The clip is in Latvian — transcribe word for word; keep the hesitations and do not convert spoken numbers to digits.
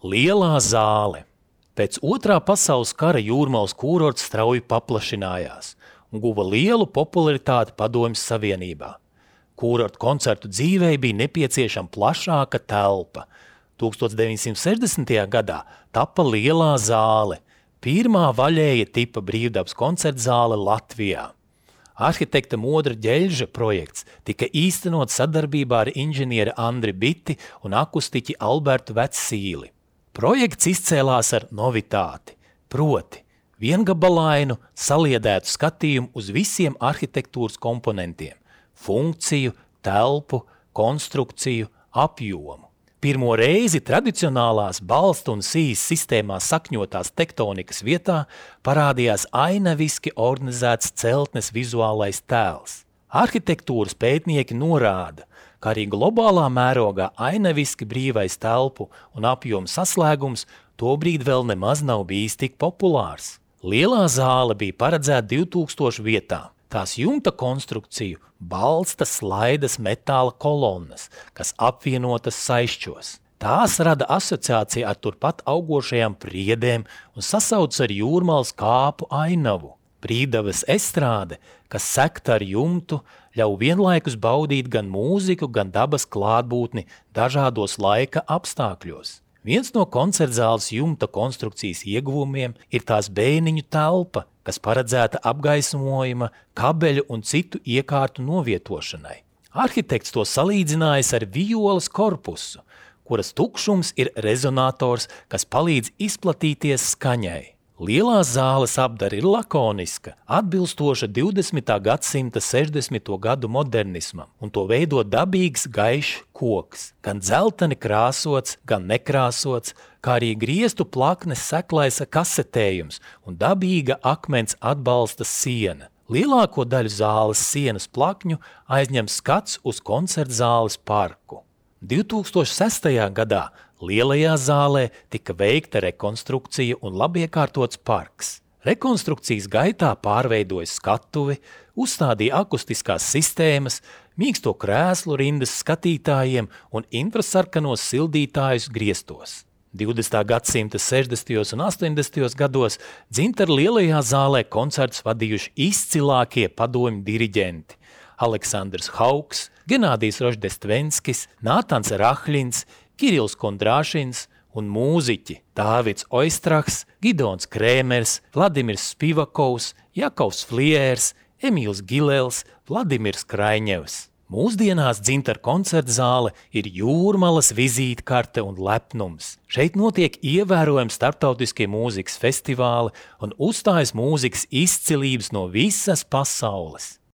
Lielā zāle. Pēc otrā pasaules kara Jūrmalas kūrorts strauji paplašinājās un guva lielu popularitāti Padomju Savienībā. Kūrorta koncertu dzīvei bija nepieciešama plašāka telpa. tūkstoš deviņsimt sešdesmitajā gadā tapa Lielā zāle, pirmā vaļēja tipa brīvdabas koncertzāle Latvijā. Arhitekta Modra Ģeļža projekts tika īstenot sadarbībā ar inženieri Andri Biti un akustiķi Albertu Vecsīli. Projekts izcēlās ar novitāti, proti viengabalainu saliedētu skatījumu uz visiem arhitektūras komponentiem – funkciju, telpu, konstrukciju, apjomu. Pirmo reizi tradicionālās balstu un sijas sistēmā sakņotās tektonikas vietā parādījās ainaviski organizēts celtnes vizuālais tēls. Arhitektūras pētnieki norāda, ka arī globālā mērogā ainaviski brīvais telpu un apjomu saslēgums tobrīd vēl nemaz nav bijis tik populārs. Lielā zāle bija paredzēta divtūkstošu vietām. Tās jumta konstrukciju balsta slaidas metāla kolonnas, kas apvienotas saišķos. Tās rada asociāciju ar turpat augošajām priedēm un sasauc ar Jūrmalas kāpu ainavu. Brīvdabas estrāde, kas sekta ar jumtu, ļauj vienlaikus baudīt gan mūziku, gan dabas klātbūtni dažādos laika apstākļos. Viens no koncertzāles jumta konstrukcijas ieguvumiem ir tās bēniņu telpa, kas paredzēta apgaismojuma, kabeļu un citu iekārtu novietošanai. Arhitekts to salīdzinājis ar violas korpusu, kuras tukšums ir rezonators, kas palīdz izplatīties skaņai. Lielā zāles apdara ir lakoniska, atbilstoša divdesmitā gadsimta sešdesmito gadu modernismam, un to veido dabīgs gaišs koks, gan dzelteni krāsots, gan nekrāsots, kā arī griestu plaknes seklaisa kasetējums un dabīga akmens atbalsta siena. Lielāko daļu zāles sienas plakņu aizņem skats uz koncertzāles parku. divtūkstoš sestajā gadā Lielajā zālē tika veikta rekonstrukcija un labiekārtots parks. Rekonstrukcijas gaitā pārveidoja skatuvi, uzstādīja akustiskās sistēmas, mīksto krēslu rindas skatītājiem un infrasarkanos sildītājus griestos. divdesmitā gadsimta sešdesmitajos un astoņdesmitajos gados Dzintaru Lielajā zālē koncertus vadījuši izcilākie padomju diriģenti – Aleksandrs Hauks, Genādijs Roždestvenskis, Nātans Rahļins, Kirills Kondrāšins un mūziķi Dāvids Oistrahs, Gidons Krēmers, Vladimirs Spivakovs, Jakovs Fliērs, Emīls Gilels, Vladimirs Kraiņevs. Mūsdienās Dzintaru koncertzāle ir Jūrmalas vizītkarte un lepnums. Šeit notiek ievērojami starptautiskie mūzikas festivāli un uzstājas mūzikas izcilības no visas pasaules.